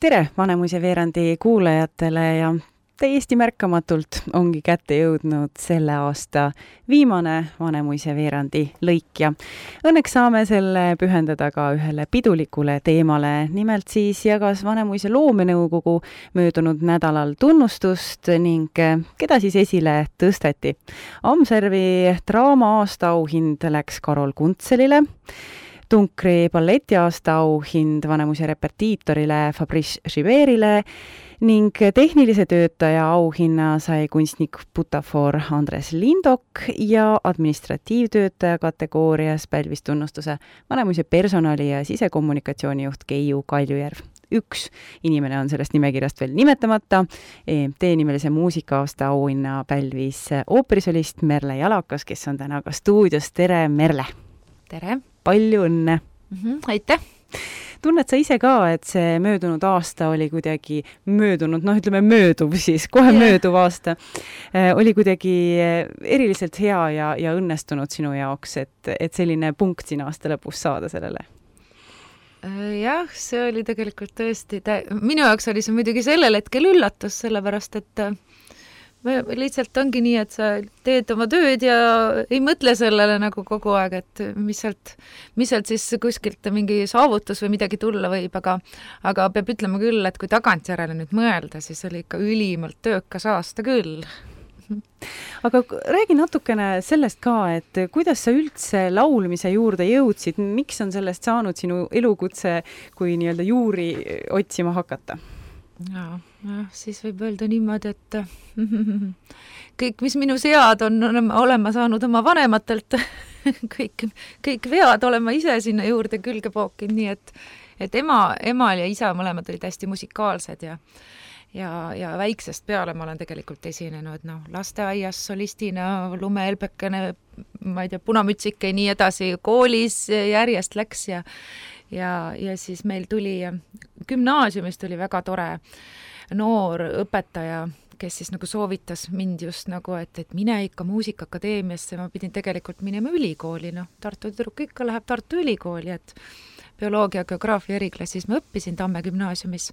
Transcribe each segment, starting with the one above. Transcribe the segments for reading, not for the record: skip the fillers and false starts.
Tere Vanemuise veerandi kuulajatele ja täiesti märkamatult ongi kätte jõudnud selle aasta viimane Vanemuise veerandi lõik ja õnneks saame selle pühendada ka ühele pidulikule teemale. Nimelt siis jagas Vanemuise loomenõukogu möödunud nädalal tunnustust ning keda siis esile tõsteti. Amservi draama aasta auhind läks Karol Kuntselile, Tunkri balleti aasta auhind Vanemuise repetiitorile Fabrice Giberile ning tehnilise töötaja auhinna sai kunstnik butafoor Andres Lindok ja administratiivtöötaja kategoorias pälvis tunnustuse Vanemuise personali- ja sisekommunikatsioonijuht Keiu Kaljujärv. Üks inimene on sellest nimekirjast veel nimetamata. EMT-nimelise muusika-aasta auhinna pälvis ooperisolist Merle Jalakas, kes on täna ka stuudios. Tere, Merle! Tere! Palju õnne! Aitäh! Tunned sa ise ka, et see möödunud aasta oli kuidagi mööduv siis, kohe mööduv aasta, oli kuidagi eriliselt hea ja õnnestunud sinu jaoks, et selline punkt siin aasta lõpus saada sellele? Jah, see oli tegelikult tõesti, minu jaoks oli see muidugi sellel hetkel üllatus, sellepärast et lihtsalt ongi nii, et sa teed oma tööd ja ei mõtle sellele nagu kogu aeg, et mis sealt siis kuskilt mingi saavutus või midagi tulla võib, aga peab ütlema küll, et kui tagantjärele nüüd mõelda, siis oli ikka ülimalt töökas aasta küll. Aga räägi natukene sellest ka, et kuidas sa üldse laulmise juurde jõudsid, miks on sellest saanud sinu elukutse, kui nii-öelda juuri otsima hakata? Siis võib öelda niimoodi, et kõik, mis minu sead on olema saanud oma vanematelt, kõik vead olema ise sinna juurde külge pookinud, nii et emal ja isa mõlemad olid hästi musikaalsed ja väiksest peale ma olen tegelikult esinenud, lasteaias solistina, lumehelbekene, ma ei tea, punamütsike ja nii edasi, koolis järjest läks ja siis meil tuli gümnaasiumist oli väga tore noor õpetaja, kes siis nagu soovitas mind just nagu, et mine ikka muusikaakadeemiasse, ma pidin tegelikult minema ülikooli, Tartu tüdruk ikka läheb Tartu ülikooli, et bioloogia, geograafia eriklassis ma õppisin Tamme gümnaasiumis.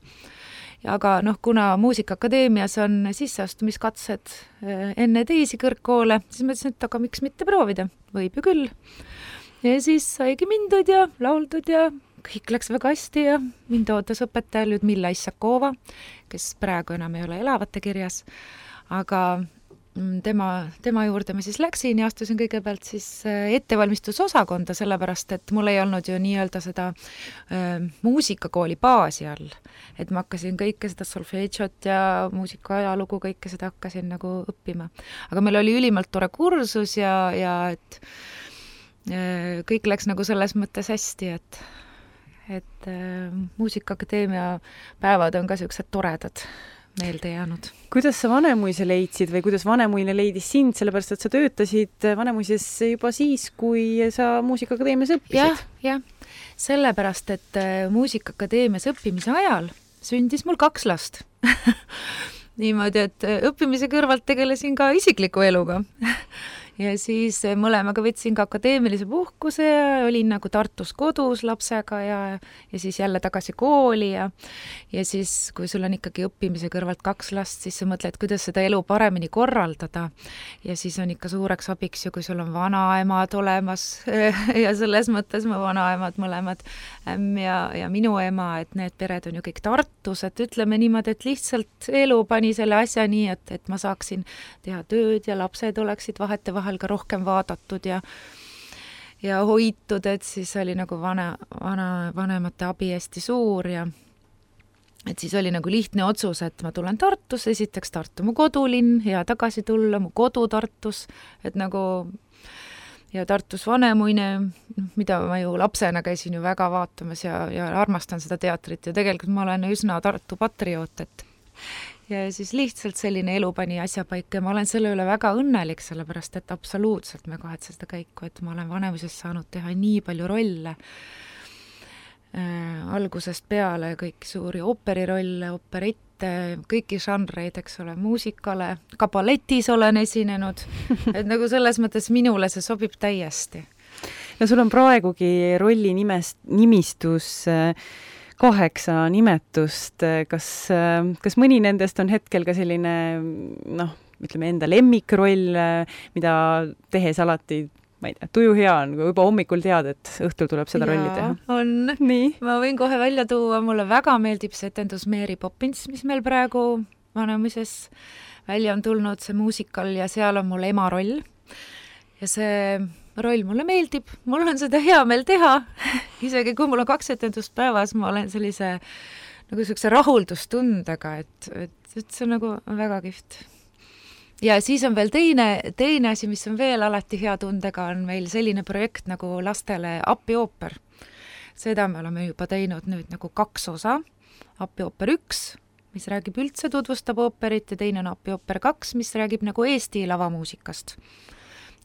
Aga kuna muusikaakadeemias on sisseastumiskatsed enne teisi kõrgkoole, siis ma ütlesin, et aga miks mitte proovida, võib ju küll. Ja siis saigi mindud ja lauldud ja kõik läks väga hästi ja mind ootas õpetaja Ljudmilla Issakova, kes praegu enam ei ole elavate kirjas, aga tema juurde ma siis läksin ja astusin kõigepealt siis ettevalmistusosakonda, sellepärast et mul ei olnud ju nii-öelda seda muusikakooli baasi all, et ma hakkasin kõike seda solfeedžot ja muusikaajalugu, kõike seda hakkasin nagu õppima. Aga meil oli ülimalt tore kursus ja et kõik läks nagu selles mõttes hästi, et muusikaakadeemia päevad on ka sellised toredad meelde jäänud. Kuidas sa Vanemuise leidsid või kuidas Vanemuine leidis sind, sellepärast et sa töötasid Vanemuises juba siis, kui sa muusikaakadeemias õppisid? Jah, sellepärast, et muusikaakadeemias õppimise ajal sündis mul 2 last. Niimoodi, et õppimise kõrvalt tegelesin ka isikliku eluga. Ja siis mõlemaga võtsin ka akadeemilise puhkuse ja olin nagu Tartus kodus lapsega ja siis jälle tagasi kooli ja siis, kui sul on ikkagi õppimise kõrvalt 2 last, siis sa mõtled, kuidas seda elu paremini korraldada. Ja siis on ikka suureks abiks ju, kui sul on vanaemad olemas ja selles mõttes mu vanaemad mõlemad ja minu ema, et need pered on ju kõik Tartus, et ütleme niimoodi, et lihtsalt elu pani selle asja nii, et ma saaksin teha tööd ja lapsed oleksid vahel ka rohkem vaadatud ja hoitud, et siis oli nagu vanemate abi hästi suur ja et siis oli nagu lihtne otsus, et ma tulen Tartus, esiteks Tartu mu kodulinn, hea tagasi tulla, mu kodu Tartus, et nagu ja Tartus Vanemuine, mida ma ju lapsena käisin ju väga vaatamas ja armastan seda teatrit ja tegelikult ma olen üsna Tartu patrioot, ja siis lihtsalt selline elu pani asja paika ja ma olen selle üle väga õnnelik, sellepärast et absoluutselt me kahetsen seda käiku, et ma olen Vanemuises saanud teha nii palju rolle. Algusest peale kõik suuri ooperirolle, operette, kõiki žanreid, eks ole, muusikale, ka balletis olen esinenud, et nagu selles mõttes minule see sobib täiesti. No sul on praegugi rolli nimistus 8 nimetust, kas mõni nendest on hetkel ka selline ütleme enda lemmikroll, mida tehes alati, ma ei tea, tuju hea on, kui juba hommikul tead, et õhtul tuleb seda rolli teha? On. Nii. Ma võin kohe välja tuua, mulle väga meeldib see etendus Mary Poppins, mis meil praegu Vanemuises välja on tulnud, see muusikal, ja seal on mul ema roll. Ja see roll mulle meeldib, mul on seda hea meel teha. Isegi kui mul on 2 etendust päevas, ma olen sellise rahuldustundega, et see on nagu väga kihvt. Ja siis on veel teine asi, mis on veel alati hea tundega, on meil selline projekt nagu lastele Appiooper. Seda me oleme juba teinud nüüd nagu 2 osa. Appiooper 1, mis räägib üldse, tutvustab ooperit, ja teine on Appiooper 2, mis räägib nagu Eesti lavamuusikast.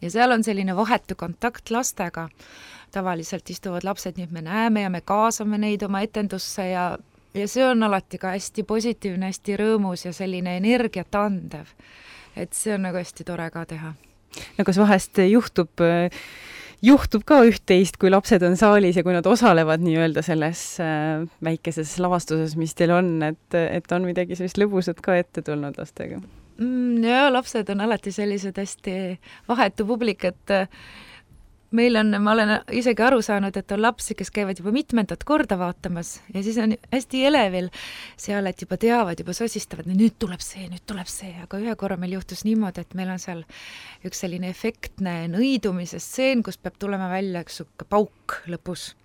Ja seal on selline vahetu kontakt lastega. Tavaliselt istuvad lapsed, nii et me näeme ja me kaasame neid oma etendusse ja see on alati ka hästi positiivne, hästi rõõmus ja selline energiat andev. Et see on nagu hästi tore ka teha. No kas vahest juhtub ka üht-teist, kui lapsed on saalis ja kui nad osalevad nii-öelda selles väikeses lavastuses, mis teil on, et on midagi sellist lõbusat ka ette tulnud lastega? Ja lapsed on alati sellised hästi vahetu publik, et ma olen isegi aru saanud, et on lapsi, kes käivad juba mitmendat korda vaatamas ja siis on hästi elevil seal, et juba teavad, juba sosistavad, nüüd tuleb see, aga ühe korra meil juhtus niimoodi, et meil on seal üks selline efektne nõidumise stseen, kus peab tulema välja üks pauk lõpus.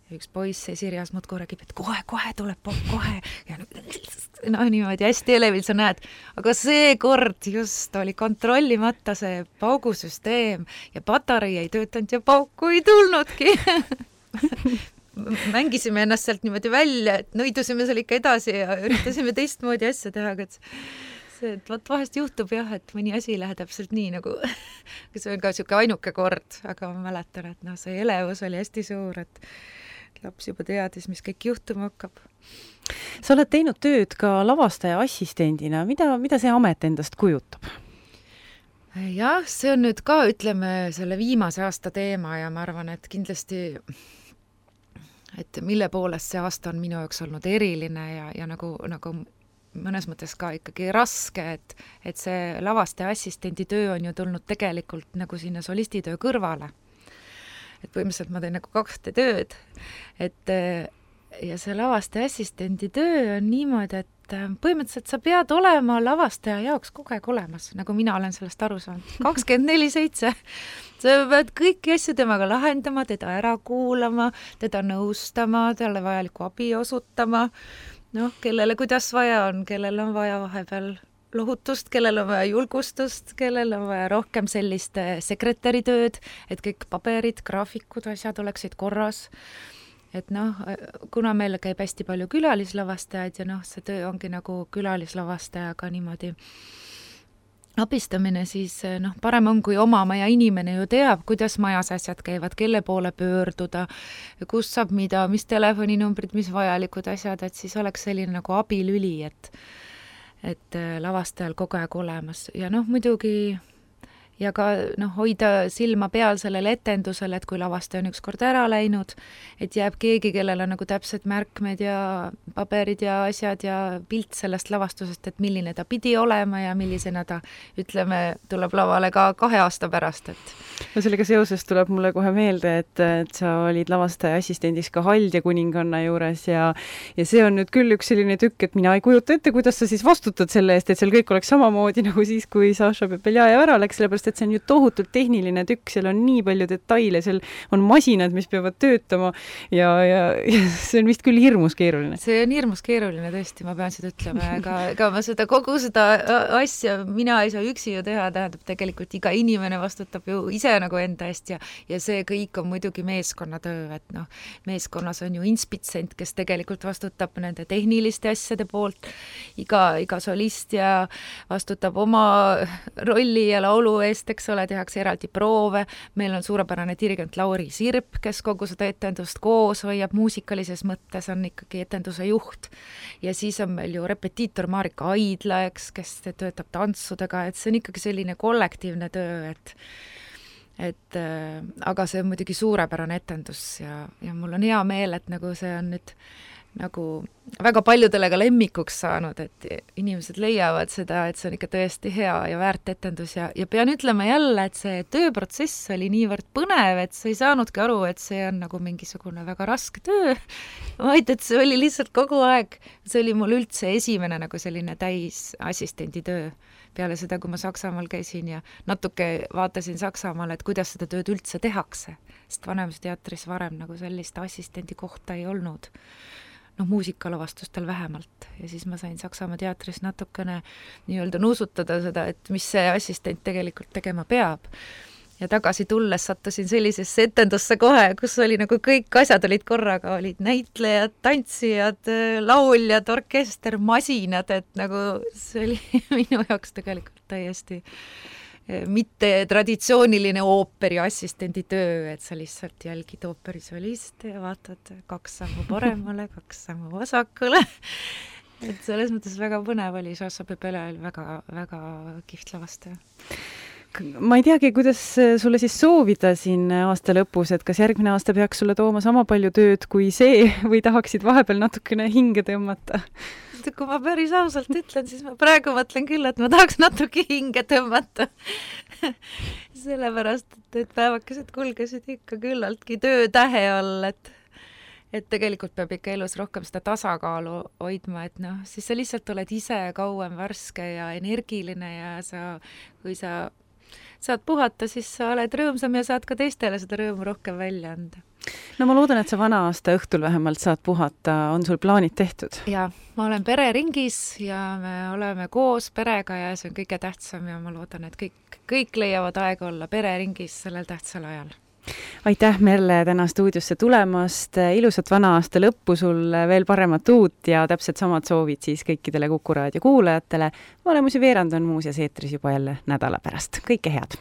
Ja üks poiss Sirjas muudkui räägib, et kohe tuleb pauk, kohe. Ja niimoodi hästi elevil sa näed, aga see kord just oli kontrollimata see paugusüsteem ja patarei ei töötanud ja pauku ei tulnudki. Mängisime ennast sealt niimoodi välja, et nõidusime seal ikka edasi ja üritasime teistmoodi asja teha, aga see, et vahest juhtub jah, et mõni asi läheb täpselt nii nagu, see on ka siuke ainuke kord, aga ma mäletan, et see elevus oli hästi suur, et laps juba teadis, mis kõik juhtuma hakkab. Sa oled teinud tööd ka lavastaja assistendina. Mida see amet endast kujutab? Jah, see on nüüd ka, ütleme, selle viimase aasta teema ja ma arvan, et kindlasti, et mille poolest see aasta on minu jaoks olnud eriline ja nagu mõnes mõttes ka ikkagi raske, et see lavastaja assistendi töö on ju tulnud tegelikult nagu sinna solistitöö kõrvale. Et põhimõtteliselt ma teen nagu 2 tööd, ja see lavastaja assistendi töö on niimoodi, et põhimõtteliselt sa pead olema lavastaja jaoks kogu aeg olemas, nagu mina olen sellest aru saanud. 24/7. Sa pead kõiki asju temaga lahendama, teda ära kuulama, teda nõustama, talle vajalikku abi osutama, kellele kuidas vaja on, kellel on vaja vahepeal lohutust, kellel on vaja julgustust, kellel on vaja rohkem sellist sekretäritööd, et kõik paberid, graafikud, asjad oleksid korras. Et kuna meil käib hästi palju külalislavastajaid ja see töö ongi nagu külalislavastajaga niimoodi abistamine, siis parem on, kui oma maja inimene ju teab, kuidas majas asjad käivad, kelle poole pöörduda, kus saab mida, mis telefoninumbrid, mis vajalikud asjad, et siis oleks selline nagu abilüli, et lavastajal kogu aeg olemas ja muidugi ja ka hoida silma peal sellele etendusele, et kui lavastaja on ükskord ära läinud, et jääb keegi, kellel on nagu täpsed märkmed ja paberid ja asjad ja pilt sellest lavastusest, et milline ta pidi olema ja millisena ta, ütleme, tuleb lavale ka 2 aasta pärast. Sellega seoses tuleb mulle kohe meelde, et sa olid lavastaja assistendis ka Haldja kuninganna juures ja see on nüüd küll üks selline tükk, et mina ei kujuta ette, kuidas sa siis vastutad selle eest, et seal kõik oleks samamoodi nagu siis, kui Saša Pepeljajev ära läks, sellepärast et see on ju tohutult tehniline tükk, seal on nii palju detaile, seal on masinad, mis peavad töötama ja see on vist küll hirmus keeruline. See on hirmus keeruline tõesti, ma pean seda ütlema, ega ma kogu seda asja mina ei saa üksi ju teha, tähendab tegelikult iga inimene vastutab ju ise nagu enda eest ja see kõik on muidugi meeskonnatöö, et meeskonnas on ju inspitsent, kes tegelikult vastutab nende tehniliste asjade poolt, iga solist ja vastutab oma rolli ja laulu eest, eks ole, tehakse eraldi proove, meil on suurepärane dirigent Lauri Sirp, kes kogu seda etendust koos hoiab muusikalises mõttes, on ikkagi etenduse juht ja siis on meil ju repetiitor Marika Aidla, kes töötab tantsudega, et see on ikkagi selline kollektiivne töö, et aga see on muidugi suurepärane etendus ja mul on hea meel, et nagu see on nüüd nagu väga paljudele ka lemmikuks saanud, et inimesed leiavad seda, et see on ikka tõesti hea ja väärt etendus ja pean ütlema jälle, et see tööprotsess oli niivõrd põnev, et sa ei saanudki aru, et see on nagu mingisugune väga raske töö, vaid et see oli lihtsalt kogu aeg, see oli mul üldse esimene nagu selline täisassistendi töö peale seda, kui ma Saksamaal käisin ja natuke vaatasin Saksamaal, et kuidas seda tööd üldse tehakse, sest Vanemuise teatris varem nagu sellist assistendi kohta ei olnud. Muusikalavastustel vähemalt. Ja siis ma sain Saksamaa teatris natukene nii-öelda nuusutada seda, et mis see assistent tegelikult tegema peab. Ja tagasi tulles sattusin sellisesse etendusse kohe, kus oli nagu kõik asjad olid korraga, olid näitlejad, tantsijad, lauljad, orkester, masinad, et nagu see oli minu jaoks tegelikult täiesti mitte traditsiooniline ooperi assistendi töö, et sa lihtsalt jälgid ooperisoliste ja vaatad 2 sammu paremale, 2 sammu vasakule. Et selles mõttes väga põnev oli, Saša Pepele oli väga, väga kihvt lavastaja. Ma ei teagi, kuidas sulle siis soovida siin aasta lõpus, et kas järgmine aasta peaks sulle tooma sama palju tööd kui see või tahaksid vahepeal natukene hinge tõmmata? Kui ma päris ausalt ütlen, siis ma praegu mõtlen küll, et ma tahaks natuke hinge tõmmata. Sellepärast, et päevakesed kulgesid ikka küllaltki töötähe all, et tegelikult peab ikka elus rohkem seda tasakaalu hoidma, et siis sa lihtsalt oled ise kauem värske ja energiline ja kui sa saad puhata, siis sa oled rõõmsam ja saad ka teistele seda rõõmu rohkem välja anda. No ma loodan, et sa vana aasta õhtul vähemalt saad puhata. On sul plaanid tehtud? Ja, ma olen pereringis ja me oleme koos perega ja see on kõige tähtsam ja ma loodan, et kõik leiavad aega olla pereringis sellel tähtsal ajal. Aitäh, Merle, täna stuudiosse tulemast. Ilusat vana aasta lõppu, sul veel paremat uut ja täpselt samad soovid siis kõikidele Kuku Raadio kuulajatele. Vanemuise veerand on muuseas eetris juba jälle nädala pärast. Kõike head!